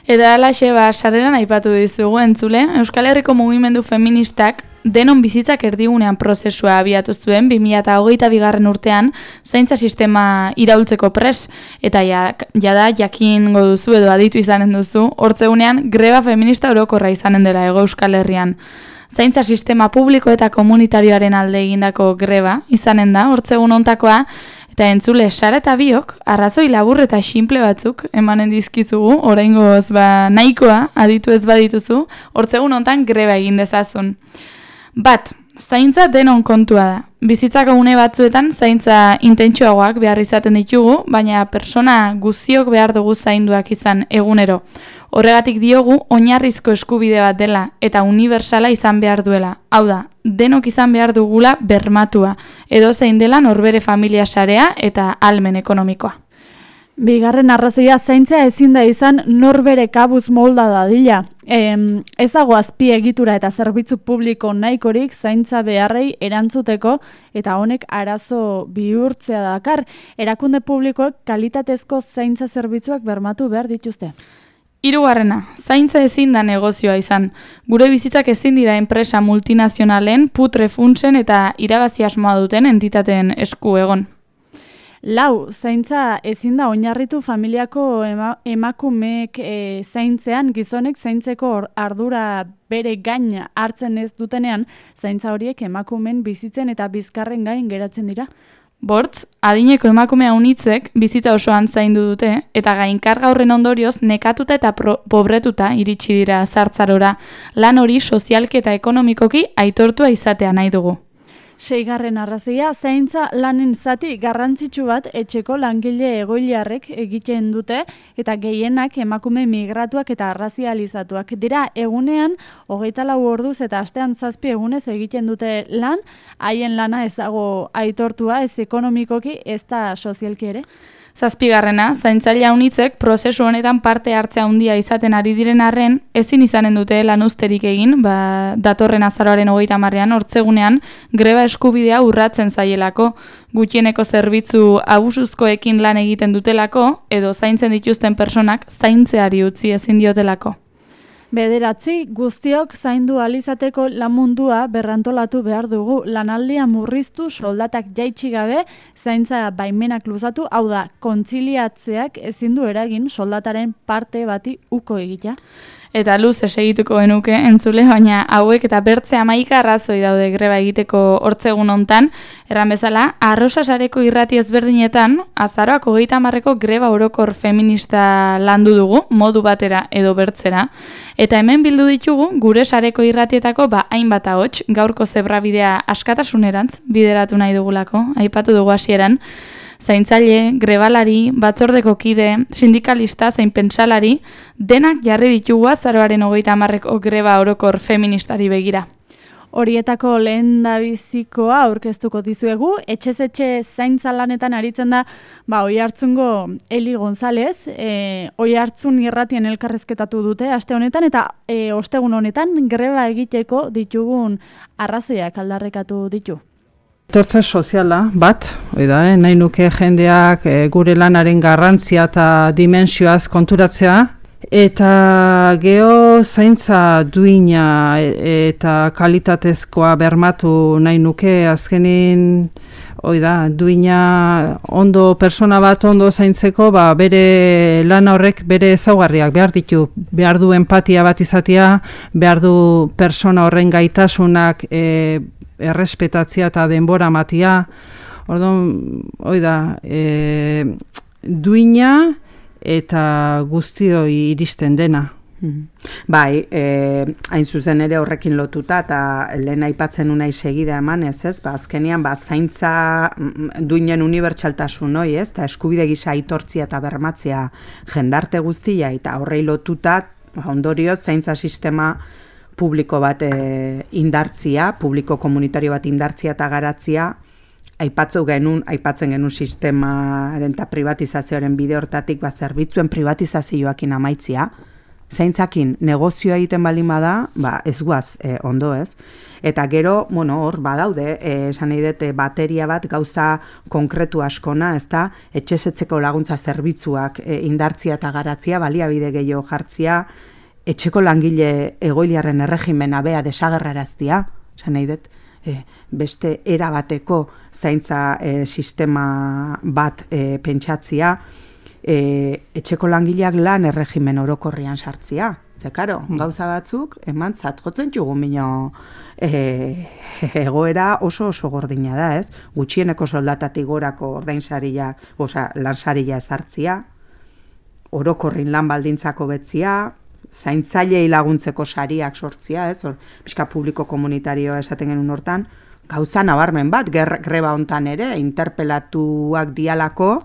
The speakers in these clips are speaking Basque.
Eta alaxe, sarreran aipatu dizugu entzule, Euskal Herriko mugimendu feministak denon bizitzak erdigunean prozesua abiatu zuen 2022. Urtean zaintza sistema iraultzeko pres, eta jada jakingo duzu edo aditu izanen duzu, hortzegunean greba feminista orokorra izanen dela Hego Euskal Herrian. Zaintza sistema publiko eta komunitarioaren alde egindako greba izanen da, hortzegun hontakoa, eta entzule, Sara eta biok, arrazoi labur eta xinple batzuk emanen dizkizugu, oraingoz nahikoa aditu ez badituzu, hortzegun hontan greba egin dezazun. Bat, zaintza denon kontua da. Bizitzako une batzuetan zaintza intentsuagoak behar izaten ditugu, baina persona guztiok behar dugu zainduak izan egunero. Horregatik diogu oinarrizko eskubide bat dela eta unibertsala izan behar duela. Hau da, denok izan behar dugula bermatua, edo zein dela norbere familia sarea eta ahalmen ekonomikoa. Bigarren arrazoia zaintzea ezin da izan norbere kabuz molda dadila. Ez dago azpiegitura eta zerbitzu publiko nahikorik zaintza beharrei erantzuteko eta honek arazo bihurtzea dakar. Erakunde publikoek kalitatezko zaintza zerbitzuak bermatu behar dituzte. Hirugarrena, zaintza ezin da negozioa izan. Gure bizitzak ezin dira enpresa multinazionalen, putre funtsen eta irabazi asmoa duten entitateen esku egon. Lau, zaintza ezin da oinarritu familiako emakumeek zaintzean, gizonek zaintzeko ardura bere gain hartzen ez dutenean, zaintza horiek emakumeen bizitzen eta bizkarren gain geratzen dira. Bortz, adineko emakumea unitzek bizitza osoan zaindu dute eta gainkarga horren ondorioz nekatuta eta pobretuta iritsi dira zartzarora, lan hori sozialki eta ekonomikoki aitortua izatea nahi dugu. Seigarren arrazoia, zaintza lanen zati garrantzitsu bat etxeko langile egoiliarrek egiten dute eta gehienak emakume migratuak eta arrazializatuak dira egunean 24 orduz eta astean 7 egunez egiten dute lan, haien lana ez dago aitortua ez ekonomikoki ez da sozialki ere. Zazpigarrena, zaintzailea unitzek prozesu honetan parte hartzea handia izaten ari diren arren, ezin izanen dute lanuzterik egin, datorren azaroaren 30ean hortzegunean greba eskubidea urratzen zaielako, gutxieneko zerbitzu abusuzkoekin lan egiten dutelako, edo zaintzen dituzten personak zaintzeari utzi ezin diotelako. Bederatzi, guztiok zaindu alizateko lan mundua berrantolatu behar dugu, lanaldia murriztu, soldatak jaitsi gabe, zaintza baimenak luzatu, hau da, kontziliatzeak ezin du eragin soldataren parte bati uko egitea. Eta luze segituko genuke entzule, baina hauek eta bertze 11 arrazoi daude greba egiteko hortzegun hontan, erran bezala, Arrosa sareko irrati ezberdinetan, azaroak 30eko greba orokor feminista landu dugu, modu batera edo bertzera, eta hemen bildu ditugu gure sareko irratietako hainbat ahots, gaurko zebrabidea askatasunerantz bideratu nahi dugulako, aipatu dugu hasieran, zaintzaile, grebalari, batzordeko kide, sindikalista, zein pentsalari, denak jarri ditugu azaroaren 30eko greba orokor feministari begira. Horietako lehendabizikoa aurkeztuko dizuegu, etxez etxe zaintza lanetan aritzen da, Oiartzungo Eli González, Oiartzun irratien elkarrezketatu dute aste honetan eta ostegun honetan greba egiteko ditugun arrazoiak aldarrekatu ditu. Etortza soziala bat, nahi nuke jendeak gure lanaren garrantzia eta dimensioaz konturatzea, eta geho zaintza duina eta kalitatezkoa bermatu nahi nuke azkenin, duina ondo persona bat ondo zaintzeko, bere lan horrek bere ezaugarriak behar ditu, behar du empatia bat izatea, behar du persona horren gaitasunak errespetatzea eta denbora matia, duina eta guztioi iristen dena. Bai, hain zuzen ere horrekin lotuta eta lehen aipatzen unai segida eman ez, azkenian zaintza duinen unibertsaltasun hoi, eta eskubide gisa aitortzia eta bermatzea jendarte guztia eta horrei lotuta ondorioz zaintza sistema publiko bat indartzia, publiko komunitario bat indartzia eta garatzia, aipatzen genuen sistemaren eta privatizazioaren bide hortatik zerbitzuen privatizazioakin amaitzia, zaintzakin negozioa egiten baldin bada, ez guaz ondo ez. Eta gero, hor badaude, esan nahi dut bateria bat gauza konkretu askona, ez da, etxesetzeko laguntza zerbitzuak indartzia eta garatzia, baliabide gehiago jartzia, etxeko langile egoiliarren erregimena bea desagerraraztia, esan nahi dut, beste erabateko zaintza sistema bat pentsatzia, etxeko langileak lan erregimen orokorrian sartzia. Karo, gauza batzuk, eman zatjotzen txugun bino egoera oso gordina da, ez? Gutxieneko soldatatik gorako ordainsaria, lansaria ezartzia, orokorrin lan baldintzako betzia, zaintzailei laguntzeko sariak sortzia, ez? Pixka publiko komunitarioa esaten genuen hortan, gauza nabarmen bat, greba hontan ere, interpelatuak dialako,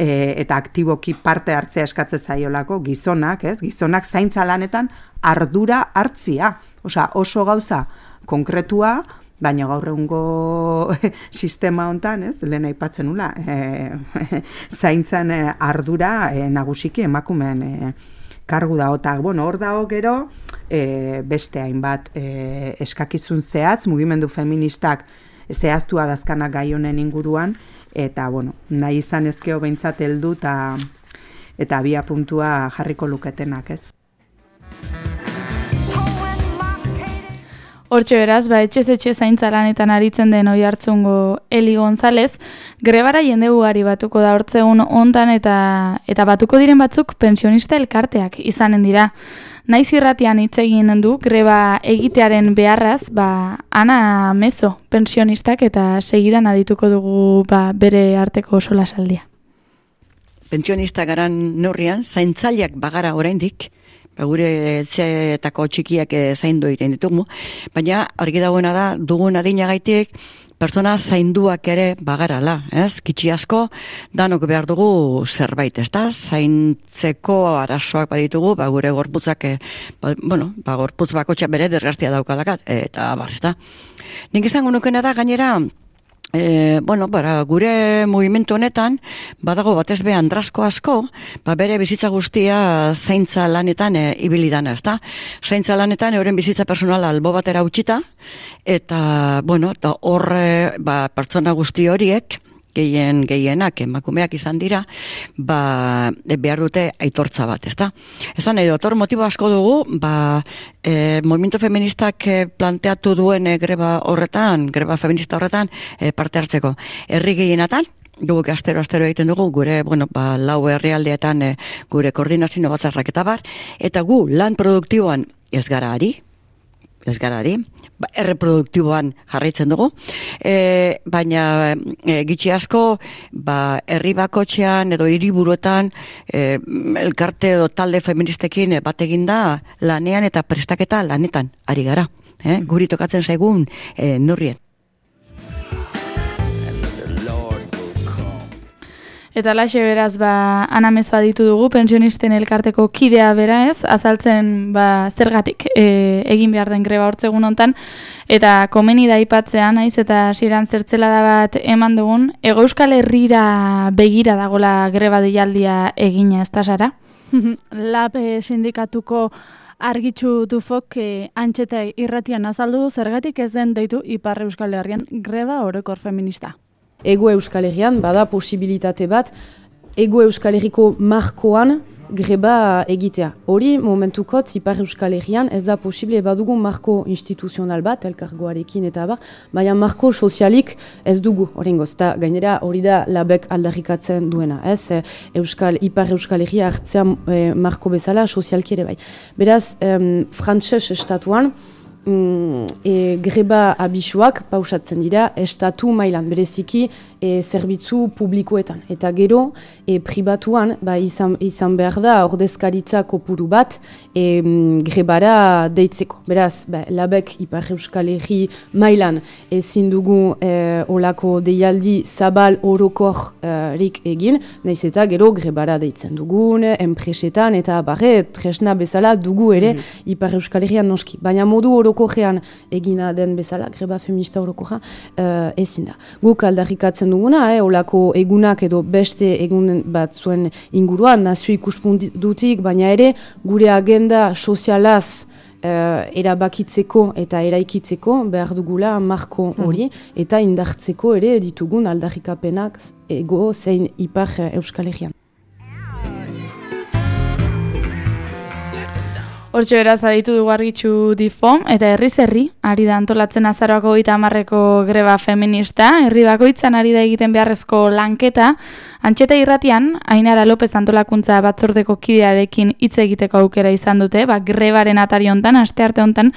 eta aktiboki parte hartzea eskatzen zaiolako gizonak, ez? Gizonak zaintza lanetan ardura hartzia. Oso gauza konkretua, baina gaur egungo sistema hontan, ez? Lehen aipatzen nula, zaintzan ardura nagusiki emakumeen kargu dago. Eta, hor dago gero, beste hainbat eskakizun zehatz, mugimendu feministak zehaztua dazkanak gai honen inguruan, eta, nahi izan ezkeo behintzat heldu eta abia puntua jarriko luketenak, ez? Hortxe beraz, etxez-etxe zaintza lanetan aritzen den Oiartzungo Eli González, grebara jende ugari batuko da hortzegun hontan eta batuko diren batzuk pensionista elkarteak izanen dira. Naiz irratian hitz egin du greba egitearen beharraz, Ana Mezo pensionistak eta segidan adituko dugu bere arteko solasaldia. Pensionista garan neurrian, zaintzaileak bagara oraindik, gure etxeetako txikiak zaindu egiten ditugu, baina argi dagoena da, dugun adinagaitik, pertsona zainduak ere bagarala, ez? Kitxi asko, danok behar dugu zerbait, ez da? Zaintzeko arazoak baditugu, gure gorputzak, gorputz bakotxa bere desgastia daukalakat, eta ez da? Nik izango nukena da, gainera, gure mugimendu honetan, badago batez be andrasko asko, bere bizitza guztia zaintza lanetan ibilidana, ez da? Zaintza lanetan euren bizitza personala albo batera utxita, eta, horre, pertsona guzti horiek, gehienak emakumeak izan dira, behar dute aitortza bat, ezta? Ezan nahi dut, motibo asko dugu, movimiento feministak planteatu duen greba feminista horretan parte hartzeko. Herri gehienatan, guk astero egiten dugu, gure, lau herrialdeetan gure koordinazio batzarrak eta bar, eta gu lan produktiboan ez gara ari, erreproduktiboan jarraitzen dugu, baina gitxi asko herri bakotxean edo hiriburuetan elkarte edo talde feministekin bat eginda lanean eta prestaketa lanetan ari gara, guri tokatzen zaigun neurrien. Eta laxe beraz, Ana Mezo aditu dugu, pensionisten elkarteko kidea bera ez, azaltzen zergatik egin behar den greba hortzegun hontan, eta komeni da aipatzea naiz eta hasieran zertzelada bat eman dugun, Hego Euskal Herrira begira dagola greba deialdia egina, ez da Sara? Lab sindikatuko Argitxu Dufok antxeta irratian azaldu zergatik ez den deitu Ipar Euskal Herrian greba orokor feminista. Ego Euskal Herrian bada posibilitate bat Ego Euskal Herriko markoan greba egitea. Hori momentukot Ipar Euskal Herrian ez da posible badugu marko instituzional bat, elkargoarekin eta baina marko sozialik ez dugu horrengoz. Eta gainera hori da labek aldarrikatzen duena. Ez Ipar Euskal Herria hartzean marko bezala sozialki ere bai. Beraz, frantses estatuan, greba abisuak pausatzen dira estatu mailan, bereziki zerbitzu publikoetan. Eta gero, pribatuan, izan behar da ordezkaritza kopuru bat grebara deitzeko. Beraz, labek Ipar Euskal Herri mailan ezin dugu olako deialdi zabal orokorrik egin, nahiz eta gero grebara deitzen dugun, enpresetan eta tresna bezala dugu ere Ipar Euskal Herrian noski. Baina modu orokorrean egina den bezala, greba feminista orokorra ezin da. Guk aldarrikatzen ikusten duguna, olako egunak edo beste egun bat zuen inguruan, nazio ikuspuntutik, baina ere gure agenda sozialaz erabakitzeko eta eraikitzeko behar dugula marko hori, eta indartzeko ere ditugun aldarrikapenak ego zein ipar Euskal Herrian. Hortxo beraz aditu dugu Argitxu Difom, eta herriz herri, ari da antolatzen azaroako 30ko greba feminista, herri bakoitzan ari da egiten beharrezko lanketa, Antxeta Irratian, Ainara López antolakuntza batzordeko kidearekin hitz egiteko aukera izan dute, grebaren atari hontan, astearte hontan,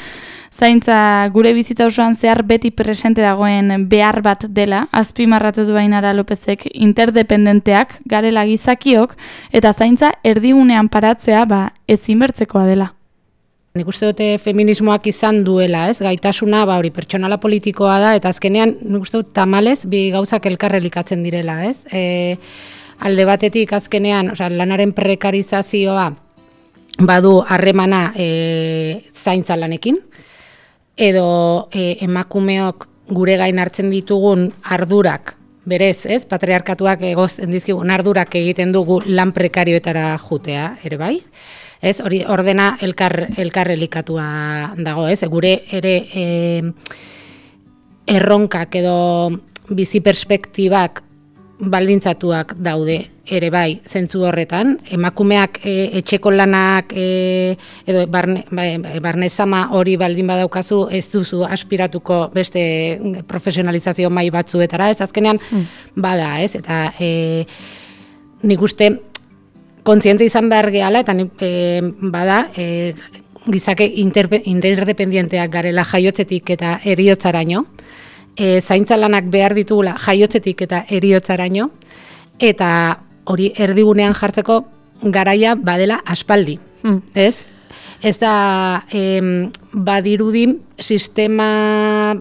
zaintza gure bizitza osoan zehar beti presente dagoen behar bat dela, azpimarratu du Ainara Lópezek interdependenteak, garela gizakiok, eta zaintza erdigunean paratzea ezinbertzekoa dela. Nik uste dute feminismoak izan duela, gaitasuna, hori pertsonala politikoa da, eta azkenean, nik uste dut tamalez, bi gauzak elkarrelikatzen direla, Alde batetik azkenean, lanaren prekarizazioa badu harremana zaintza lanekin, edo emakumeok gure gain hartzen ditugun ardurak, berez, patriarkatuak egozen dizkigun ardurak egiten dugu lan prekarioetara jutea, ere bai? Hori ordena elkarrelikatua dago, gure ere erronkak edo bizi perspektibak baldintzatuak daude ere bai zentzu horretan. Emakumeak etxeko lanak edo barnezama hori baldin badaukazu ez duzu aspiratuko beste profesionalizazio mai batzuetara, azkenean bada, eta nik uste kontziente izan behar gehala, eta bada, gizake interdependienteak garela jaiotzetik eta eriotzaraino, zaintza lanak behar ditugula jaiotzetik eta eriotzaraino, eta hori erdigunean jartzeko garaia badela aspaldi, Ez da, badirudi sistema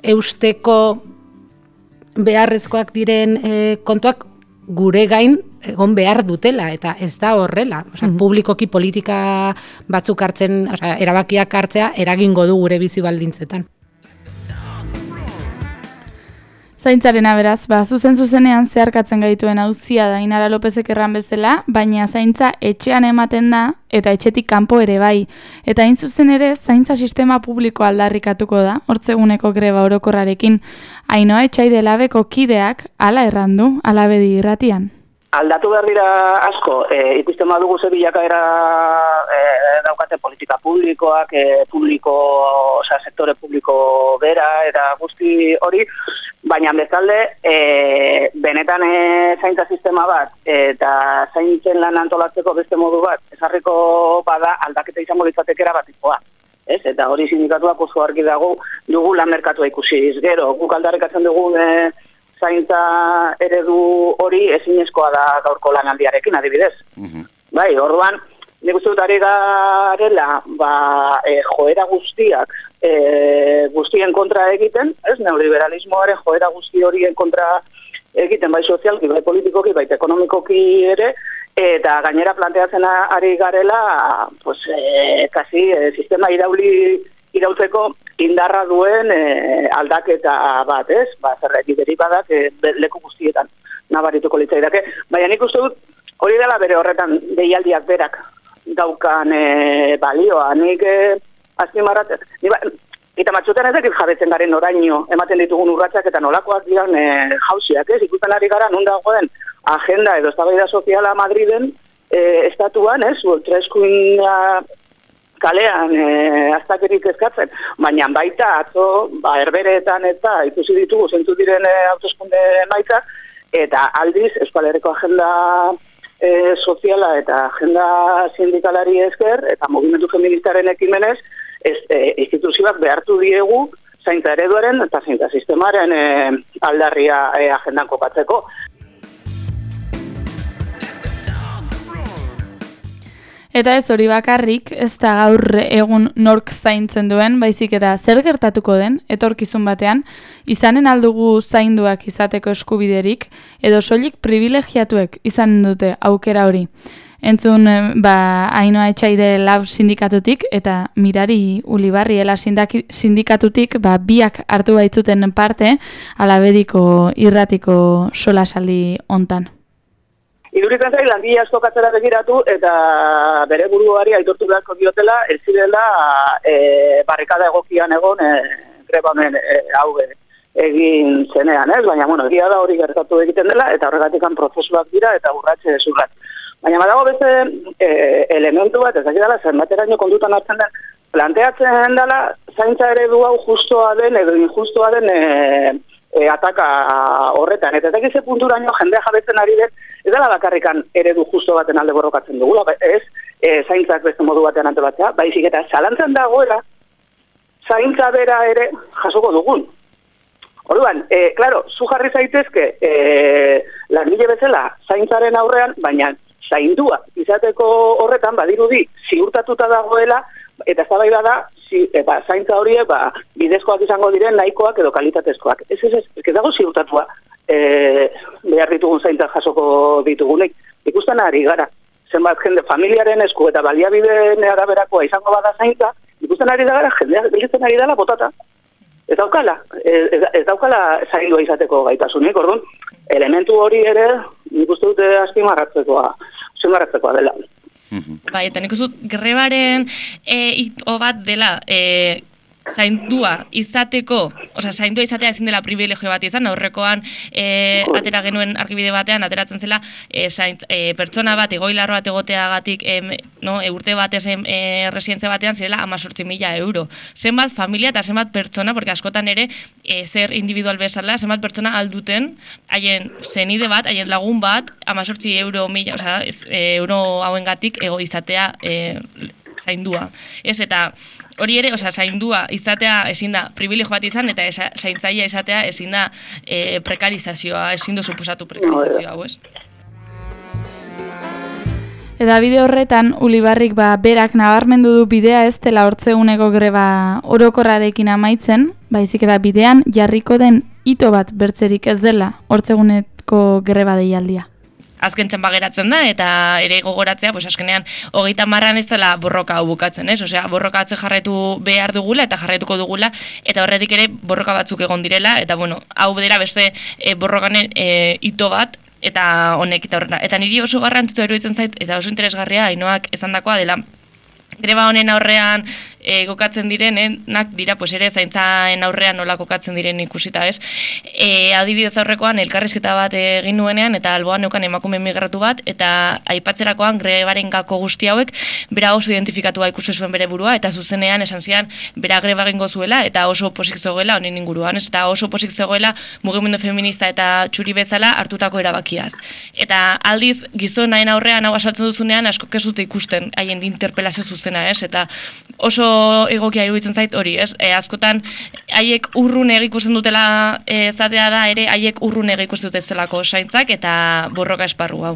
eusteko beharrezkoak diren kontuak gure gain egon behar dutela, eta ez da horrela. Publikoki politika batzuk hartzen, erabakiak hartzea, eragingo du gure bizi baldintzetan. Zaintzarena beraz, zuzenean zeharkatzen gaituen auzia da Ainara Lópezek erran bezala, baina zaintza etxean ematen da, eta etxetik kanpo ere bai. Eta hain zuzen ere, zaintza sistema publiko aldarrikatuko da, hortzeguneko greba orokorrarekin. Ainoa Etxaide Labeko kideak hala errandu, Alabedi Irratian. Aldatu behar dira asko, ikusten badugu ze bilakaera daukate politika publikoak, sektore publiko bera eta guzti hori, baina bezalde, benetan zaintza sistema bat eta zaintzen lan antolatzeko beste modu bat, ezarriko bada aldaketa izango litzatekera batikoa. Eta hori sindikatuak oso argi dugu lan merkatua ikusiz. Gero, guk aldarrikatzen dugu zaintza eredu hori ezinezkoa da gaurko lanaldiarekin, adibidez. Bai, orduan, nik uste dut ari garela, joera guztiak guztien kontra egiten, neoliberalismoaren joera guzti horien kontra egiten, bai sozialki, bai politikoki, bai ekonomikoki ere, eta gainera planteatzen ari garela, kasi sistema iraultzeko indarra duen aldaketa bat, zerretik deribadak leku guztietan nabarituko litzaidake. Baina nik uste dut hori dela bere horretan deialdiak berak daukan balioa. Nik azpimarratzen, eta matxotan ez dakit jabetzen garen oraino ematen ditugun urratsak eta nolakoak diran jauziak, ikusten ari gara non dagoen agenda edo eztabaida soziala Madriden estatuan, Ultraeskuin kalean aztakerik eskatzen, baina baita atzo herbereetan eta ikusi ditugu zentzu diren hauteskunde emaitzak, eta aldiz Euskal Herriko agenda soziala eta agenda sindikalari esker eta mugimendu feministaren ekimenez instituzioak behartu diegu zaintza ereduaren eta zaintza sistemaren aldarria agendan kokatzeko. Eta ez hori bakarrik, ez da gaur egun nork zaintzen duen, baizik eta zer gertatuko den, etorkizun batean, izanen aldugu zainduak izateko eskubiderik, edo soilik privilegiatuek izanen dute aukera hori. Entzun, Ainhoa Etxaide Lab sindikatutik eta Mirari Ulibarri Ela sindikatutik biak hartu baitzuten parte Alabediko irratiko solasaldi hontan. Iduritzen zai, langile asko katzera begiratu eta bere buruari aitortu beharko diotela, ez zirela barrikada egokian egon greba honen hau egin zenean, ez? Baina, egia da hori gertatu egiten dela eta horregatikan prozesuak dira eta urratxe zurrat. Baina badago beste elementu bat, ez dakidala, zenbateraino kondutan hartzen den, planteatzen dela, zaintza eredu hau justoa den edo injustoa den ataka horretan. Eta ez dakize punturaino jendea jabetzen ari den, ez dela bakarrikan eredu justo baten alde borrokatzen dugula, ez zaintzak beste modu batean antolatzea, baizik eta zalantzan dagoela, zaintza bera ere jasoko dugun. Orduan, claro, zu jarri zaitezke langile bezala zaintzaren aurrean, baina zaindua izateko horretan badirudi ziurtatuta dagoela eta eztabaida da zaintza horiek bidezkoak izango diren nahikoak edo kalitatezkoak. Ez dago ziurtatua behar ditugun zaintzak jasoko ditugunek. Ikusten ari gara, zenbat jende familiaren esku eta baliabideen araberakoa izango bada zaintza, ikusten ari da gara jendea gelditzen ari dela botata. Ez daukala zaindua izateko gaitasunik, orduan, elementu hori ere nik uste dute azpimarratzekoa dela. Bai, eta nik uste dut grebaren hito bat dela zaindua izateko, zaindua izatea ezin dela privilegio bat izan, aurrekoan atera genuen argibide batean, ateratzen zela pertsona bat, egoilarro bat egoteagatik urte batez residentzia batean zirela 18.000 euro. Zenbat familia eta zenbat pertsona, porque askotan ere zer individual bezala, zenbat pertsona alduten, haien zenide bat, haien lagun bat, 18 euro euro hauengatik ego izatea zaindua. Ez eta hori ere, zaindua izatea ezin da privilegio bat izan, eta zaintzailea izatea ezin da prekarizazioa, ezin du suposatu prekarizazioa, ez? Eta bide horretan, Ulibarrik berak nabarmendu du bidea ez dela hortzeguneko greba orokorrarekin amaitzen, baizik eta bidean jarriko den hito bat bertzerik ez dela hortzeguneko greba deialdia. Azken txanpa geratzen da, eta ere gogoratzea, azkenean, 30an ez dela borroka hau bukatzen, ez? Borroka atze jarraitu behar dugula, eta jarraituko dugula, eta horretik ere borroka batzuk egon direla, eta hau dira beste borrokanen hito bat, eta honek eta horrena. Eta niri oso garrantzitsu iruditzen zait, eta oso interesgarria, Ainhoak esandakoa dela, greba honen aurrean kokatzen direnak dira, ere zaintzaen aurrean nola kokatzen diren ikusita, ez? Adibidez aurrekoan elkarrizketa bat egin nuenean, eta alboan neukan emakume migratu bat, eta aipatzerakoan grebaren gako guzti hauek, bera oso identifikatua ikusi zuen bere burua, eta zuzenean esan zian, bera greba egingo zuela, eta oso posik zegoela honen inguruan, ez? Eta oso posik zegoela mugimendu feminista eta txuri bezala hartutako erabakiaz. Eta aldiz, gizonaen aurrean hau asaltzen duzunean, asko kezute ikusten haien interpelazio zuzena, ez? Eta oso egokia iruditzen zait hori, ez? Askotan, haiek urrun ikusten dutela zatea da, ere haiek urrun ikusten dute zelako zaintzak eta borroka esparru hau.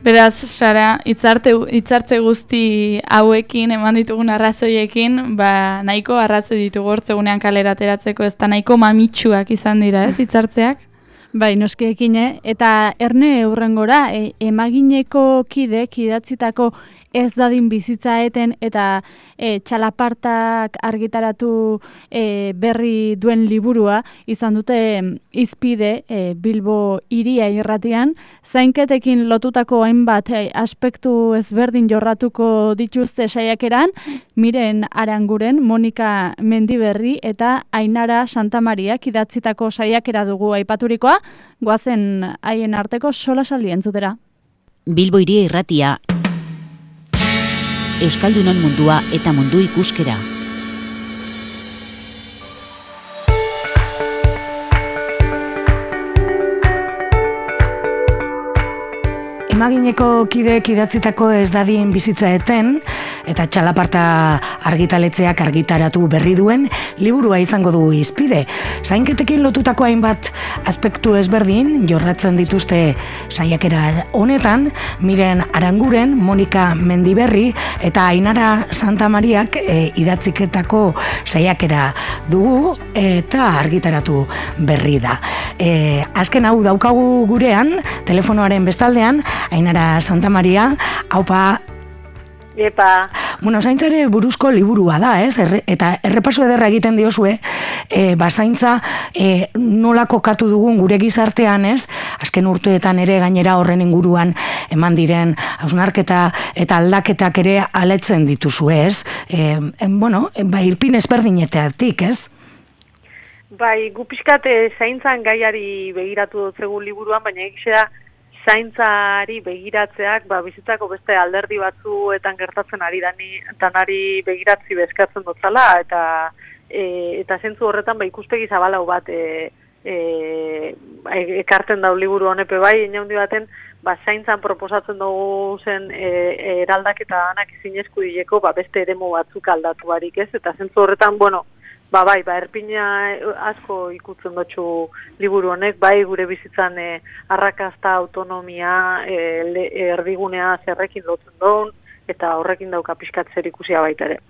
Beraz, Sara, hitzartze guzti hauekin, eman ditugun arrazoiekin, nahiko arrazoi ditugu hortzegunean kalera ateratzeko, ez da nahiko mamitsuak izan dira, ez, hitzartzeak? Bai, noskiekin, eta erne hurrengora, emagineko kidek idatzitako ez dadin bizitza eten eta txalapartak argitaratu berri duen liburua izan dute izpide Bilbo hiria irratian, zainketekin lotutako hainbat aspektu ezberdin jorratuko dituzte saiakeran, Miren Aranguren, Monika Mendiberri eta Ainara Santamariak idatzitako saiakera dugu aipaturikoa, goazen haien arteko solasaldi entzutera. Bilbo hiria irratia, Euskaldunon mundua eta mundu ikuskera. Filmagineko kideek idatzitako ez dadin bizitza eten, eta txalaparta argitaletzeak argitaratu berri duen liburua izango du hizpide. Zainketekin lotutako hainbat aspektu ezberdin jorratzen dituzte saiakera honetan, Miren Aranguren, Monika Mendiberri eta Ainara Santamariak idatziketako saiakera dugu eta argitaratu berri da. Azken hau daukagu gurean, telefonoaren bestaldean, Ainara Santamaria, haupa. Epa. Bueno, zaintzare buruzko liburua da, ez? Eta errepaso ederra egiten diozue, zaintza nola kokatu dugun gure gizartean, ez? Azken urteetan ere gainera horren inguruan eman diren hausnarketa eta aldaketak ere aletzen dituzue, ez? Irpin ezberdinetatik, ez? Bai, gu pixkat zaintzan gaiari begiratu dutzegu liburuan, baina egizea zaintzari begiratzeak bizitzako beste alderdi batzuetan gertatzen ari danari begiratzi bezkatzen dutzala, eta zentzu horretan ikuspegi zabalau bat ekarten dau liburu honepe bai, inaundi baten zaintzan proposatzen dugu zen eraldaketa danak zinezku dileko beste eremu batzuk aldatu barik ez, eta zentzu horretan, erpina asko ikutzen dutxu liburu honek, gure bizitzan arrakasta, autonomia, erdigunea zerrekin lotzen duen, eta horrekin dauka pixkat zer ikusia baita ere.